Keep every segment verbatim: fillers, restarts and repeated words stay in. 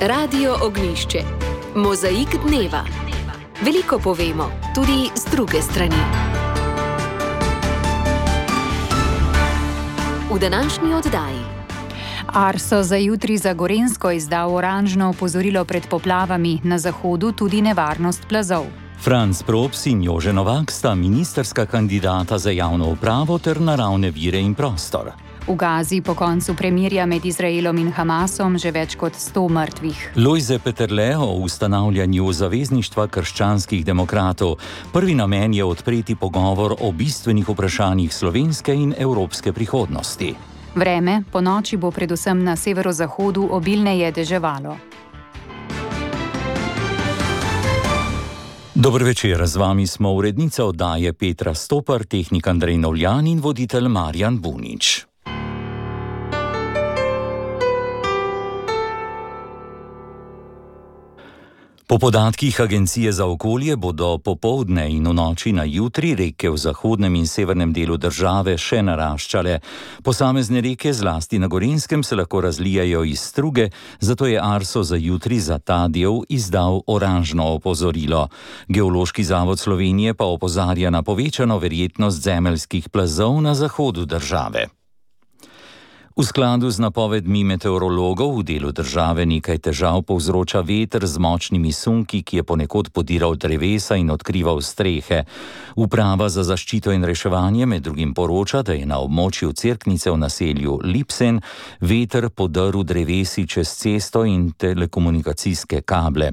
Radio Ognjišče. Mozaik dneva. Veliko povemo, tudi z druge strani. V današnji oddaji. Arso za jutri za Gorenjsko izdal oranžno opozorilo pred poplavami, na zahodu tudi nevarnost plazov. Franc Props in Jože Novak sta ministrska kandidata za javno upravo ter naravne vire in prostor. V Gazi po koncu premirja med Izraelom in Hamasom že več kot sto mrtvih. Lojze Peterle o ustanavljanju zavezništva krščanskih demokratov. Prvi namen je odpreti pogovor o bistvenih vprašanjih slovenske in evropske prihodnosti. Vreme, po noči bo predvsem na severozahodu obilneje deževalo. Dober večer, z vami smo urednica oddaje Petra Stopar, tehnik Andrej Novljan in voditelj Marjan Bunič. Po podatkih Agencije za okolje bodo popoldne in v noči na jutri reke v zahodnem in severnem delu države še naraščale. Posamezne reke, zlasti na Gorenjskem, se lahko razlijajo iz struge, zato je Arso za jutri za ta del izdal oranžno opozorilo. Geološki zavod Slovenije pa opozarja na povečano verjetnost zemeljskih plazov na zahodu države. V skladu z napovedmi meteorologov v delu države nekaj težav povzroča veter z močnimi sunki, ki je ponekod podiral drevesa in odkrival strehe. Uprava za zaščito in reševanje med drugim poroča, da je na območju Cerknice v naselju Lipsen veter podrl drevesi čez cesto in telekomunikacijske kable.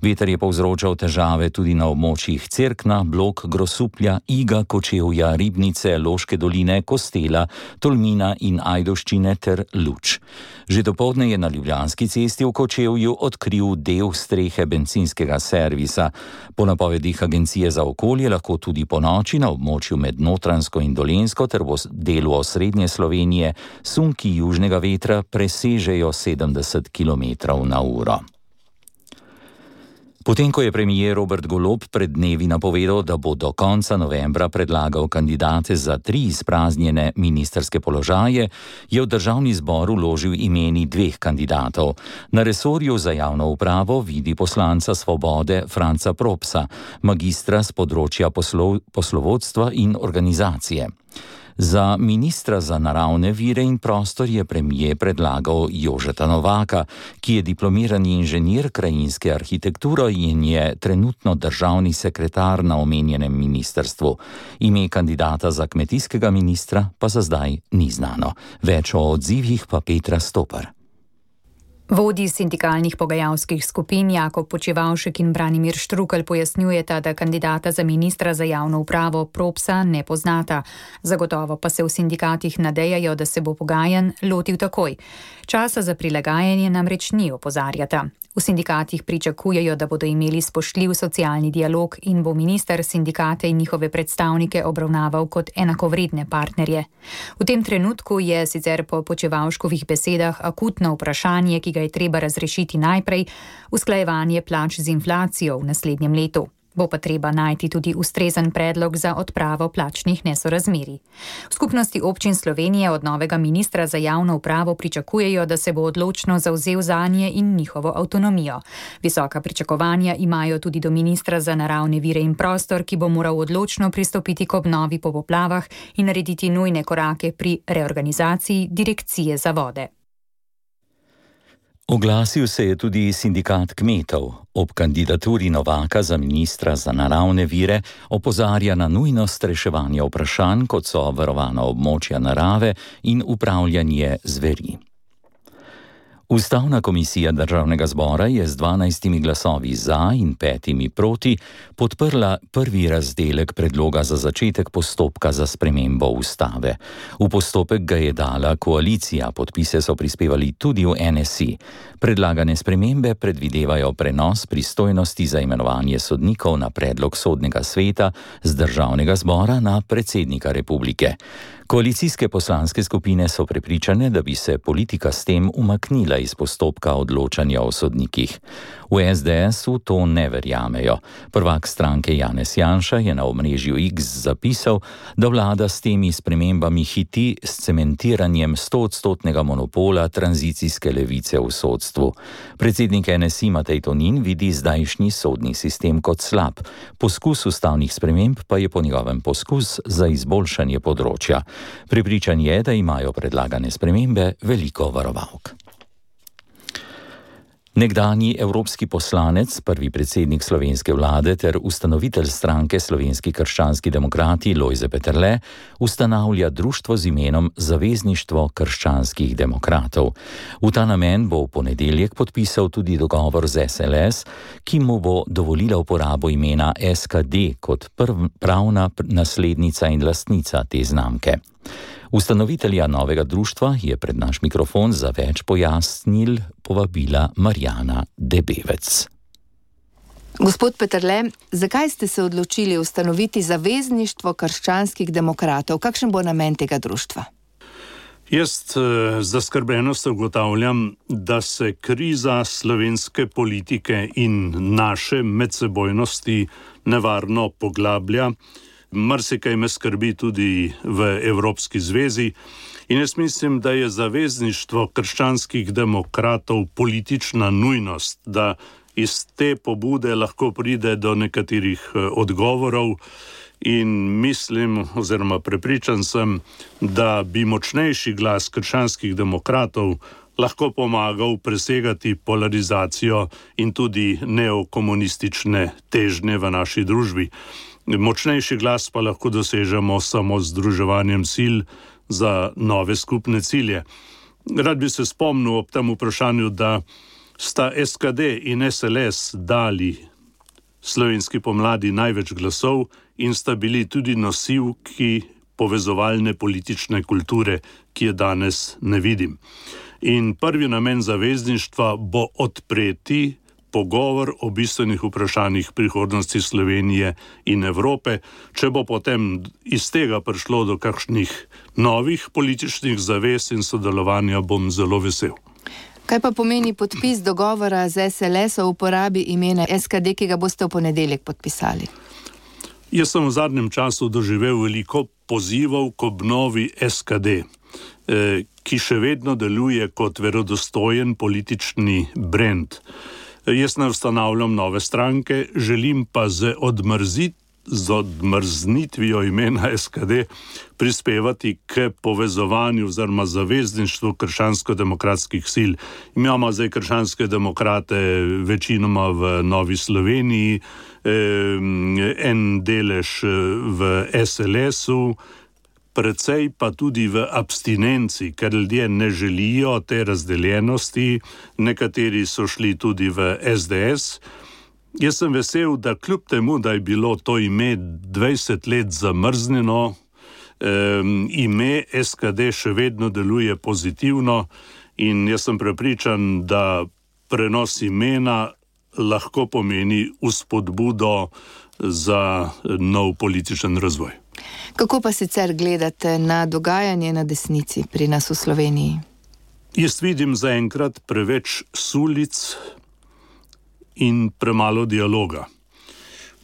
Veter je povzročal težave tudi na območjih Cerkna, Blok, Grosuplja, Iga, Kočevja, Ribnice, Loške doline, Kostela, Tolmina in Ajdovščine ter Luč. Že dopoldne je na Ljubljanski cesti v Kočevju odkril del strehe bencinskega servisa. Po napovedih Agencije za okolje lahko tudi po noči na območju med Notranjsko in Dolenjsko ter v delu osrednje Slovenije sunki južnega vetra presežejo sedemdeset kilometrov na uro. Potem, ko je premier Robert Golob pred dnevi napovedal, da bo do konca novembra predlagal kandidate za tri izpraznjene ministrske položaje, je v državni zbor vložil imeni dveh kandidatov. Na resorju za javno upravo vidi poslanca Svobode Franca Propsa, magistra z področja poslov, poslovodstva in organizacije. Za ministra za naravne vire in prostor je premier predlagal Jožeta Novaka, ki je diplomirani inženir krajinske arhitekture in je trenutno državni sekretar na omenjenem ministrstvu. Ime kandidata za kmetijskega ministra pa za zdaj ni znano. Več o odzivih pa Petra Stopar. Vodji sindikalnih pogajalskih skupin Jakob Počivavšek in Branimir Štrukelj pojasnjujeta, da kandidata za ministra za javno upravo Propsa ne poznata. Zagotovo pa se v sindikatih nadejajo, da se bo pogajanj lotil takoj. Časa za prilagajanje namreč ni, opozarjata. V sindikatih pričakujejo, da bodo imeli spoštljiv socialni dialog in bo minister sindikate in njihove predstavnike obravnaval kot enakovredne partnerje. V tem trenutku je sicer po Počivavškovih besedah akutno vprašanje, ki ga je treba razrešiti najprej, usklajevanje plač z inflacijo v naslednjem letu. Bo pa treba najti tudi ustrezen predlog za odpravo plačnih nesorazmerij. V skupnosti občin Slovenije od novega ministra za javno upravo pričakujejo, da se bo odločno zavzel zanje in njihovo avtonomijo. Visoka pričakovanja imajo tudi do ministra za naravne vire in prostor, ki bo moral odločno pristopiti k obnovi po poplavah in narediti nujne korake pri reorganizaciji Direkcije za vode. Oglasil se je tudi sindikat kmetov. Ob kandidaturi Novaka za ministra za naravne vire opozarja na nujnost reševanja vprašanj, kot so varovana območja narave in upravljanje zveri. Ustavna komisija Državnega zbora je z dvanajstimi glasovi za in petimi proti podprla prvi razdelek predloga za začetek postopka za spremembo ustave. V postopek ga je dala koalicija, podpise so prispevali tudi v N S I. Predlagane spremembe predvidevajo prenos pristojnosti za imenovanje sodnikov na predlog sodnega sveta z Državnega zbora na predsednika republike. Koalicijske poslanske skupine so prepričane, da bi se politika s tem umaknila iz postopka odločanja o sodnikih. V es de esu to ne verjamejo. Prvak stranke Janez Janša je na omrežju X zapisal, da vlada s temi spremembami hiti s cementiranjem stoodstotnega monopola tranzicijske levice v sodstvu. Predsednik en es i Matej Tonin vidi zdajšnji sodni sistem kot slab. Poskus ustavnih sprememb pa je po njegovem poskus za izboljšanje področja. Prepričan je, da imajo predlagane spremembe veliko varovalk. Nekdanji evropski poslanec, prvi predsednik slovenske vlade ter ustanovitelj stranke Slovenski krščanski demokrati Lojze Peterle ustanavlja društvo z imenom Zavezništvo krščanskih demokratov. V ta namen bo v ponedeljek podpisal tudi dogovor z es el es, ki mu bo dovolila uporabo imena es ka de kot prv, pravna naslednica in lastnica te znamke. Ustanovitelja novega društva je pred naš mikrofon za več pojasnil povabila Marjana Debevec. Gospod Peterle, zakaj ste se odločili ustanoviti Zavezništvo krščanskih demokratov? Kakšen bo namen tega društva? Jaz z zaskrbljenostjo ugotavljam, da se kriza slovenske politike in naše medsebojnosti nevarno poglablja. Marsikaj me skrbi tudi v Evropski zvezi in jaz mislim, da je zavezništvo krščanskih demokratov politična nujnost, da iz te pobude lahko pride do nekaterih odgovorov in mislim oziroma prepričan sem, da bi močnejši glas krščanskih demokratov lahko pomagal presegati polarizacijo in tudi neokomunistične težnje v naši družbi. Močnejši glas pa lahko dosežemo samo z združevanjem sil za nove skupne cilje. Rad bi se spomnil ob tem vprašanju, da sta es ka de in es el es dali slovenski pomladi največ glasov in sta bili tudi nosilki povezovalne politične kulture, ki je danes ne vidim. In prvi namen zavezništva bo odpreti pogovor o bistvenih vprašanjih prihodnosti Slovenije in Evrope. Če bo potem iz tega prišlo do kakšnih novih političnih zavez in sodelovanja, bom zelo vesel. Kaj pa pomeni podpis dogovora z es el es o uporabi imena es ka de, ki ga boste v ponedeljek podpisali? Jaz sem v zadnjem času doživel veliko pozivov k obnovi es ka de, ki še vedno deluje kot verodostojen politični brand. Jaz ne ustanavljam nove stranke, želim pa z, odmrzit, z odmrznitvijo imena es ka de prispevati k povezovanju oziroma zavezništvu krščansko-demokratskih sil. Imamo zdaj krščanske demokrate večinoma v Novi Sloveniji, en delež v es el esu, precej pa tudi v abstinenci, ker ljudje ne želijo te razdeljenosti, nekateri so šli tudi v es de es. Jaz sem vesel, da kljub temu, da je bilo to ime dvajset let zamrznjeno, ime es ka de še vedno deluje pozitivno in jaz sem prepričan, da prenos imena lahko pomeni vzpodbudo za nov političen razvoj. Kako pa sicer gledate na dogajanje na desnici pri nas v Sloveniji? Jaz vidim zaenkrat preveč sulic in premalo dialoga.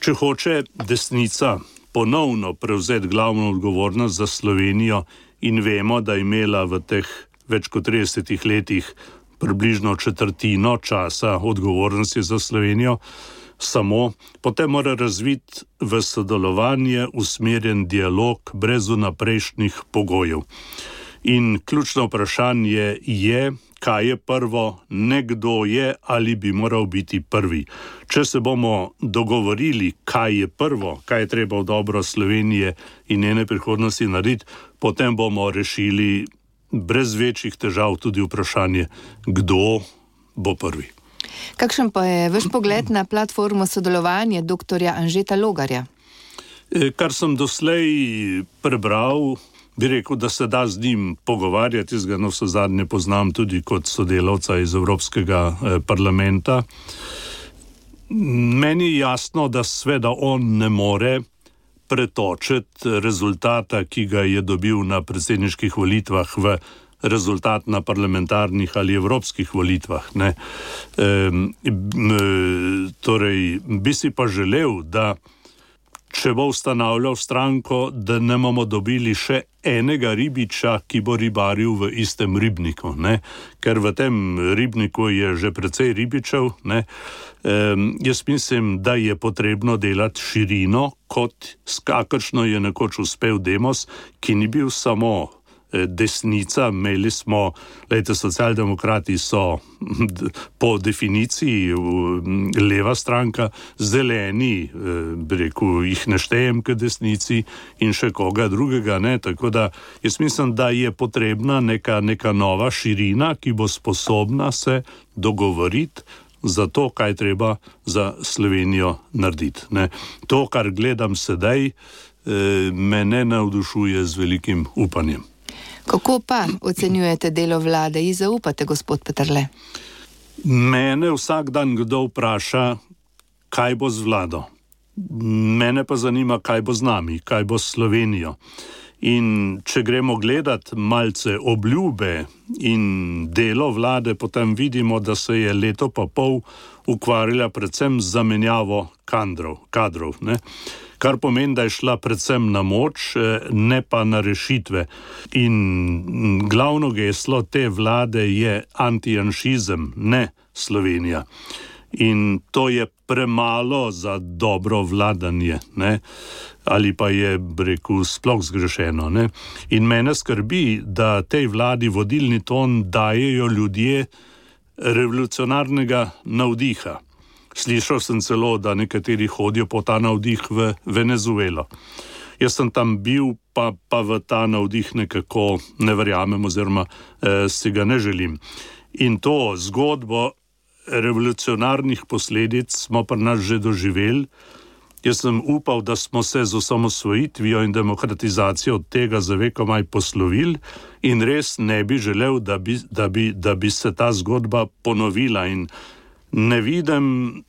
Če hoče desnica ponovno prevzeti glavno odgovornost za Slovenijo in vemo, da je imela v teh več kot tridesetih letih približno četrtino časa odgovornosti za Slovenijo, samo potem mora razviti v sodelovanje usmerjen dialog brez vnaprejšnjih pogojev. In ključno vprašanje je, kaj je prvo, ne kdo je ali bi moral biti prvi. Če se bomo dogovorili, kaj je prvo, kaj je treba v dobro Slovenije in njene prihodnosti narediti, potem bomo rešili brez večjih težav tudi vprašanje, kdo bo prvi. Kakšen pa je vaš pogled na platformo sodelovanja doktorja Anžeta Logarja? Kar sem doslej prebral, bi rekel, da se da z njim pogovarjati, jaz ga navsezadnje poznam tudi kot sodelavca iz Evropskega parlamenta. Meni je jasno, da sveda on ne more pretočiti rezultata, ki ga je dobil na predsedniških volitvah, v rezultat na parlamentarnih ali evropskih volitvah. Ne. E, torej, bi si pa želel, da če bo ustanavljal stranko, da ne bomo dobili še enega ribiča, ki bo ribaril v istem ribniku, ne? Ker v tem ribniku je že precej ribičev. Ne? E, jaz mislim, da je potrebno delati širino, kot s kakršno je nekoč uspel Demos, ki ni bil samo desnica. Imeli smo, lejte, socialdemokrati so po definiciji leva stranka, zeleni, bi rekel, jih ne štejem k desnici in še koga drugega, ne, tako da jaz mislim, da je potrebna neka, neka nova širina, ki bo sposobna se dogovoriti za to, kaj treba za Slovenijo narediti, ne. To, kar gledam sedaj, me ne navdušuje z velikim upanjem. Kako pa ocenjujete delo vlade? Ji zaupate, gospod Peterle? Mene vsak dan kdo vpraša, kaj bo z vlado. Mene pa zanima, kaj bo z nami, kaj bo s Slovenijo. In če gremo gledat malce obljube in delo vlade, potem vidimo, da se je leto pa pol ukvarjala predvsem z zamenjavo kadrov, kadrov, ne? Kar pomeni, da je šla predvsem na moč, ne pa na rešitve. In glavno geslo te vlade je antijanšizem, ne Slovenija. In to je premalo za dobro vladanje, ne? Ali pa je, rekel, sploh zgrešeno, ne? In mene skrbi, da tej vladi vodilni ton dajejo ljudje revolucionarnega navdiha. Slišal sem celo, da nekateri hodijo po ta navdih v Venezuelo. Jaz sem tam bil, pa, pa v ta navdih nekako ne verjamem oziroma eh, si ga ne želim. In to zgodbo revolucionarnih posledic smo pri nas že doživeli. Jaz sem upal, da smo se z osamosvojitvijo in demokratizacijo od tega za vekomaj poslovili in res ne bi želel, da bi, da bi, da bi se ta zgodba ponovila. In ne vidim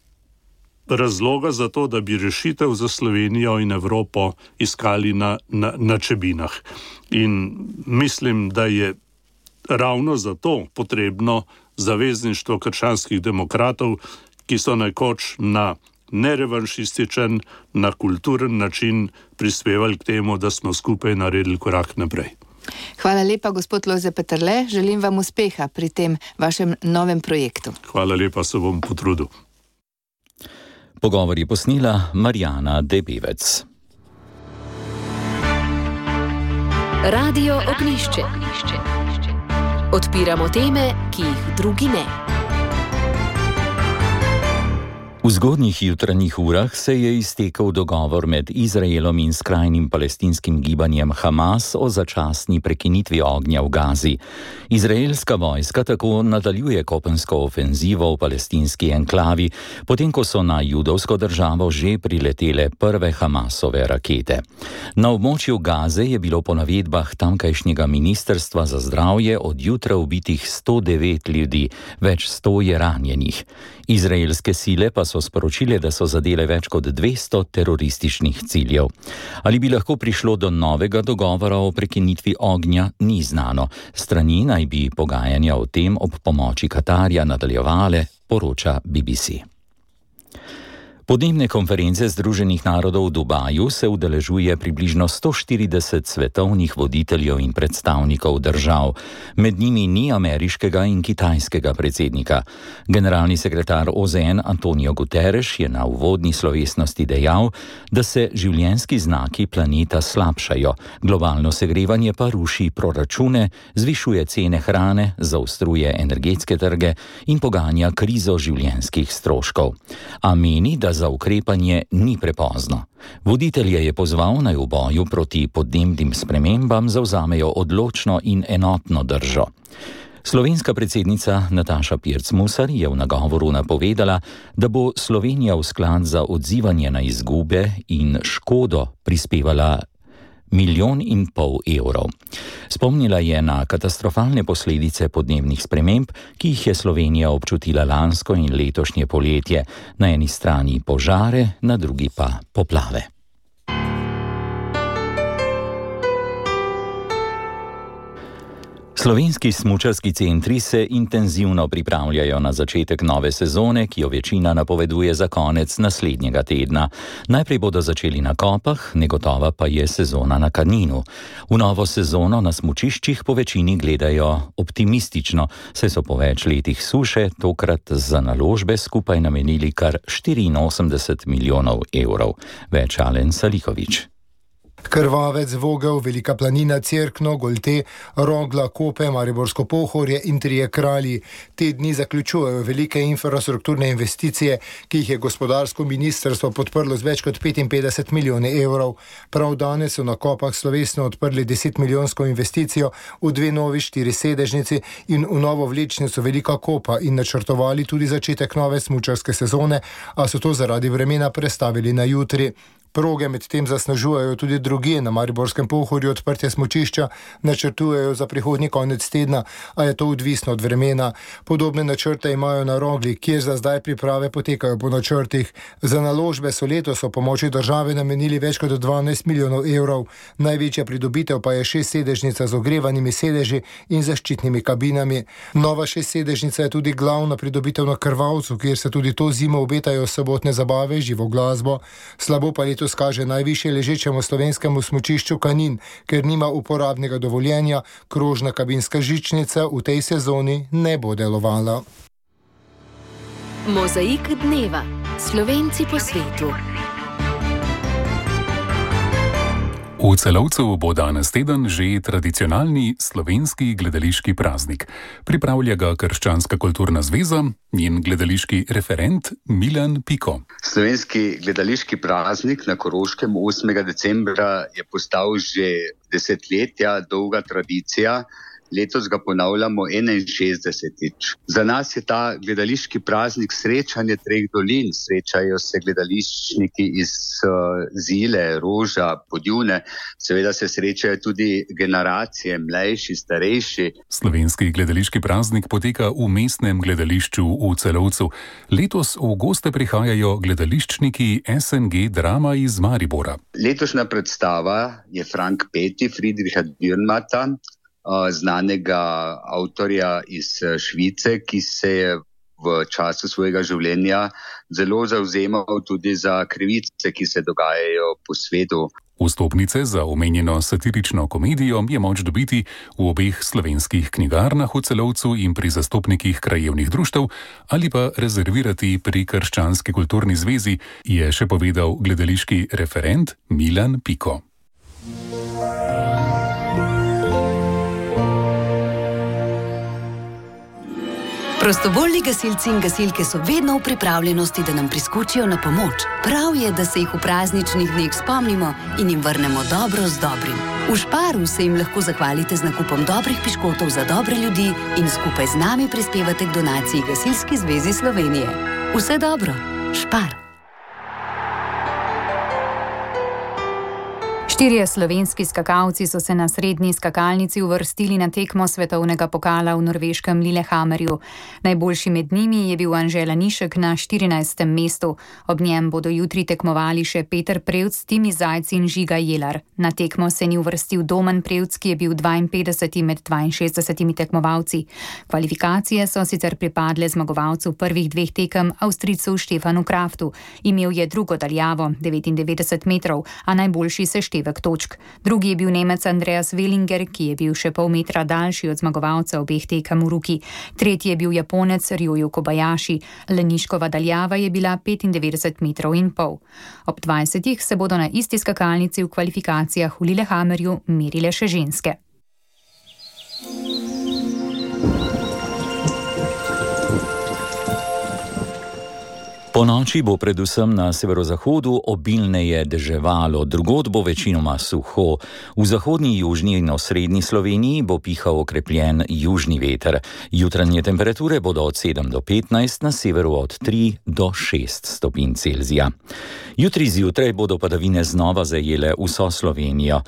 razloga za to, da bi rešitev za Slovenijo in Evropo iskali na, na, na Čebinah. In mislim, da je ravno zato potrebno zavezništvo krščanskih demokratov, ki so nekoč na nerevanšističen, na kulturen način prispevali k temu, da smo skupaj naredili korak naprej. Hvala lepa, gospod Lojze Peterle. Želim vam uspeha pri tem vašem novem projektu. Hvala lepa, se bom potrudil. Pogovor je posnela Marjana Debevec. Radio Ognjišče. Odpiramo teme, ki jih drugi ne. V zgodnjih jutranjih urah se je iztekel dogovor med Izraelom in skrajnim palestinskim gibanjem Hamas o začasni prekinitvi ognja v Gazi. Izraelska vojska tako nadaljuje kopensko ofenzivo v palestinski enklavi, potem ko so na judovsko državo že priletele prve Hamasove rakete. Na območju Gaze je bilo po navedbah tamkajšnjega ministrstva za zdravje od jutra ubitih sto devet ljudi, več sto je ranjenih. Izraelske sile pa so sporočile, da so zadele več kot dvesto terorističnih ciljev. Ali bi lahko prišlo do novega dogovora o prekinitvi ognja, ni znano. Strani naj bi pogajanja o tem ob pomoči Katarja nadaljevale, poroča B B C. Podnebne konference Združenih narodov v Dubaju se udeležuje približno sto štirideset svetovnih voditeljev in predstavnikov držav. Med njimi ni ameriškega in kitajskega predsednika. Generalni sekretar O Z N Antonio Guterres je na uvodni slovesnosti dejal, da se življenjski znaki planeta slabšajo, globalno segrevanje pa ruši proračune, zvišuje cene hrane, zaostruje energetske trge in poganja krizo življenjskih stroškov. A meni, da za ukrepanje ni prepozno. Voditelje je pozval, naj v boju proti podnebnim spremembam zavzamejo odločno in enotno držo. Slovenska predsednica Nataša Pirc Musar je v nagovoru napovedala, da bo Slovenija v sklad za odzivanje na izgube in škodo prispevala milijon in pol evrov. Spomnila je na katastrofalne posledice podnebnih sprememb, ki jih je Slovenija občutila lansko in letošnje poletje, na eni strani požare, na drugi pa poplave. Slovenski smučarski centri se intenzivno pripravljajo na začetek nove sezone, ki jo večina napoveduje za konec naslednjega tedna. Najprej bodo začeli na Kopah, negotova pa je sezona na Kaninu. V novo sezono na smučiščih po večini gledajo optimistično, saj so po več letih suše tokrat za naložbe skupaj namenili kar štiriinosemdeset milijonov evrov. Več Alen Salikovič. Krvavec, Vogel, Velika planina, Cerkno, Golte, Rogla, Kope, Mariborsko Pohorje in Trije kralji. Te dni zaključujejo velike infrastrukturne investicije, ki jih je gospodarsko ministrstvo podprlo z več kot petinpetdeset milijoni evrov. Prav danes so na Kopah slovesno odprli desetmilijonsko investicijo v dve novi štirisedežnici in v novo vlečnico Velika Kopa in načrtovali tudi začetek nove smučarske sezone, a so to zaradi vremena prestavili na jutri. Proge medtem zasnežujejo tudi drugje na Mariborskem Pohorju, odprtje smučišča načrtujejo za prihodnji konec tedna, a je to odvisno od vremena. Podobne načrte imajo na Rogli, kjer za zdaj priprave potekajo po načrtih. Za naložbe so letos o pomoči države namenili več kot dvanajst milijonov evrov. Največja pridobitev pa je šestsedežnica z ogrevanimi sedeži in zaščitnimi kabinami. Nova šestsedežnica je tudi glavna pridobitev na Krvavcu, kjer se tudi to zimo obetajo sobotne zabave, živo glasbo. Slabo pa letos kaže najvišje ležečemu slovenskemu smučišču Kanin, ker nima uporabnega dovoljenja, krožna kabinska žičnica v tej sezoni ne bo delovala. Mozaik dneva. Slovenci po svetu. V Celovcu bo danes teden že tradicionalni slovenski gledališki praznik. Pripravlja ga Krščanska kulturna zveza, njen gledališki referent Milan Piko. Slovenski gledališki praznik na Koroškem osmega decembra je postal že desetletja dolga tradicija. Letos ga ponavljamo enainšestdesetič. Za nas je ta gledališki praznik srečanje treh dolin. Srečajo se gledališčniki iz uh, Zile, Roža, Podjune. Seveda se srečajo tudi generacije, mlajši, starejši. Slovenski gledališki praznik poteka v mestnem gledališču v Celovcu. Letos v goste prihajajo gledališčniki S N G Drama iz Maribora. Letošnja predstava je Frank Peti, Friedricha Dürrenmatta, znanega avtorja iz Švice, ki se je v času svojega življenja zelo zavzemal tudi za krivice, ki se dogajajo po svetu. Vstopnice za omenjeno satirično komedijo je moč dobiti v obeh slovenskih knjigarnah v Celovcu in pri zastopnikih krajevnih društev ali pa rezervirati pri Krščanski kulturni zvezi, je še povedal gledališki referent Milan Piko. Prostovoljni gasilci in gasilke so vedno v pripravljenosti, da nam priskočijo na pomoč. Prav je, da se jih v prazničnih dneh spomnimo in jim vrnemo dobro z dobrim. V Šparu se jim lahko zahvalite z nakupom dobrih piškotov za dobre ljudi in skupaj z nami prispevate k donaciji Gasilski zvezi Slovenije. Vse dobro, Špar! Štirje slovenski skakalci so se na srednji skakalnici uvrstili na tekmo svetovnega pokala v norveškem Lillehammerju. Najboljši med njimi je bil Anže Lanišek na štirinajstem mestu. Ob njem bodo jutri tekmovali še Peter Prevc, Timi Zajc in Žiga Jelar. Na tekmo se ni uvrstil Domen Prevc, ki je bil dvainpetdeseti med dvainšestdesetimi tekmovalci. Kvalifikacije so sicer pripadle zmagovalcu prvih dveh tekem, Avstrijcu Štefanu Kraftu. Imel je drugo daljavo, devetindevetdeset metrov, a najboljši seštevek točk. Drugi je bil Nemec Andreas Wellinger, ki je bil še pol metra daljši od zmagovalca obeh tekem v Ruki. Tretji je bil Japonec Ryoyu Kobayashi. Laniškova daljava je bila petindevetdeset metrov in pol. Ob dvajsetih se bodo na isti skakalnici v kvalifikacijah v Lillehammerju merile še ženske. Po noči bo predvsem na severozahodu obilneje deževalo, drugod bo večinoma suho. V zahodni, južni in osrednji Sloveniji bo pihal okrepljen južni veter. Jutranje temperature bodo od sedem do petnajst, na severu od tri do šest stopinj Celzija. Jutri zjutraj bodo padavine znova zajele vso Slovenijo.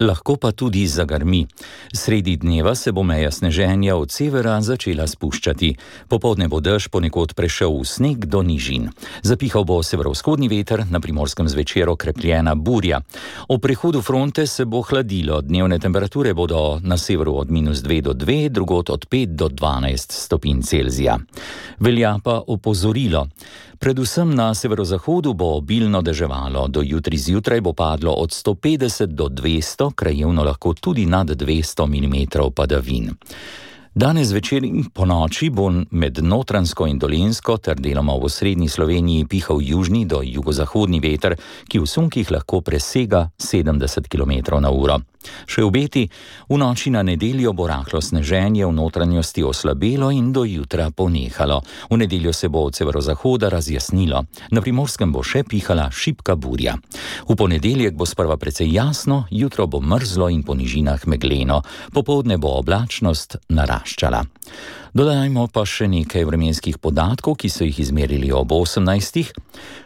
lahko pa tudi zagrmi. Sredi dneva se bo meja sneženja od severa začela spuščati. Popoldne bo dež ponekod prešel v sneg do nižin. Zapihal bo severovzhodni veter, na Primorskem zvečer okrepljena burja. O prehodu fronte se bo hladilo. Dnevne temperature bodo na severu od minus dve do dve, drugod od pet do dvanajst stopinj Celzija. Velja pa opozorilo. Predvsem na severozahodu bo obilno deževalo. Do jutri zjutraj bo padlo od sto petdeset do dvesto, krajevno lahko tudi nad dvesto milimetrov padavin. Danes večer in po noči bo med Notranjsko in Dolenjsko ter deloma v osrednji Sloveniji pihal južni do jugozahodni veter, ki v sunkih lahko presega sedemdeset kilometrov na uro. Še obeti, v noči na nedeljo bo rahlo sneženje v notranjosti oslabelo in do jutra ponehalo. V nedeljo se bo od severozahoda razjasnilo. Na Primorskem bo še pihala šibka burja. V ponedeljek bo sprva precej jasno, jutro bo mrzlo in po nižinah megleno. Popoldne bo oblačnost naraščala. Dodajmo pa še nekaj vremenskih podatkov, ki so jih izmerili ob osemnajstih.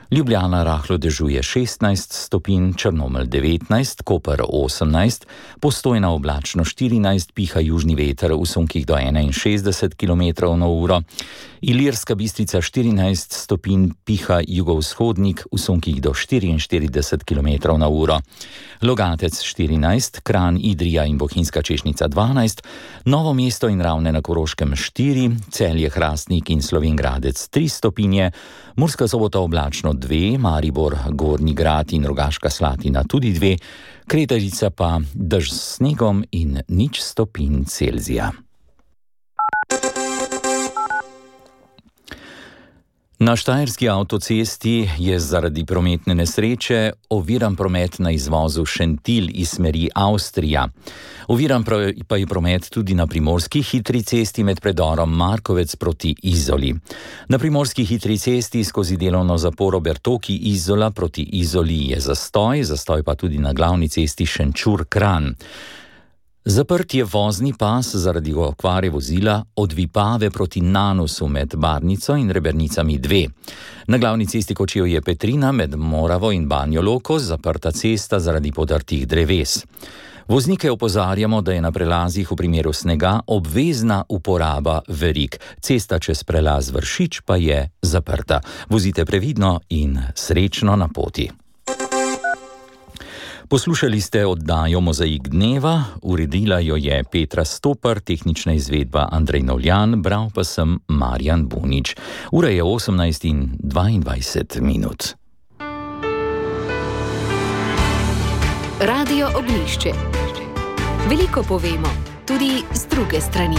Ljubljana rahlo dežuje šestnajst stopinj, Črnomelj devetnajst, Koper osemnajst, Postojna oblačno štirinajst, piha južni veter v sunkih do enainšestdeset kilometrov na uro, Ilirska Bistrica štirinajst stopinj, piha jugovzhodnik v sunkih do štiriinštirideset kilometrov na uro, Logatec štirinajst, Kranj, Idrija in Bohinjska Češnica dvanajst, Novo mesto in Ravne na Koroškem štiri, Celje, Hrastnik in Slovenj Gradec tri stopinje, Murska Sobota oblačno dve, Maribor, Gornji Grad in Rogaška Slatina tudi dve, Kredarica pa dež s snegom in nič stopinj Celzija. Na štajerski avtocesti je zaradi prometne nesreče oviran promet na izvozu Šentilj iz smeri Avstrija. Oviran pa je promet tudi na primorski hitri cesti med predorom Markovec proti Izoli. Na primorski hitri cesti skozi delovno zaporo Bertoki Izola proti Izoli je zastoj, zastoj pa tudi na glavni cesti Šenčur-Kranj. Zaprt je vozni pas zaradi okvare vozila od Vipave proti Nanusu med Barnico in Rebernicami dve. Na glavni cesti Kočevje Petrina med Moravo in Banjo Loko zaprta cesta zaradi podrtih dreves. Voznike opozarjamo, da je na prelazih v primeru snega obvezna uporaba verig. Cesta čez prelaz Vršič pa je zaprta. Vozite previdno in srečno na poti. Poslušali ste oddajo Mozaik dneva, uredila jo je Petra Stopar, tehnična izvedba Andrej Novljan, bral pa sem Marjan Bunič. Ura je osemnajst in dvaindvajset minut. Radio Oglišče. Veliko povemo, tudi z druge strani.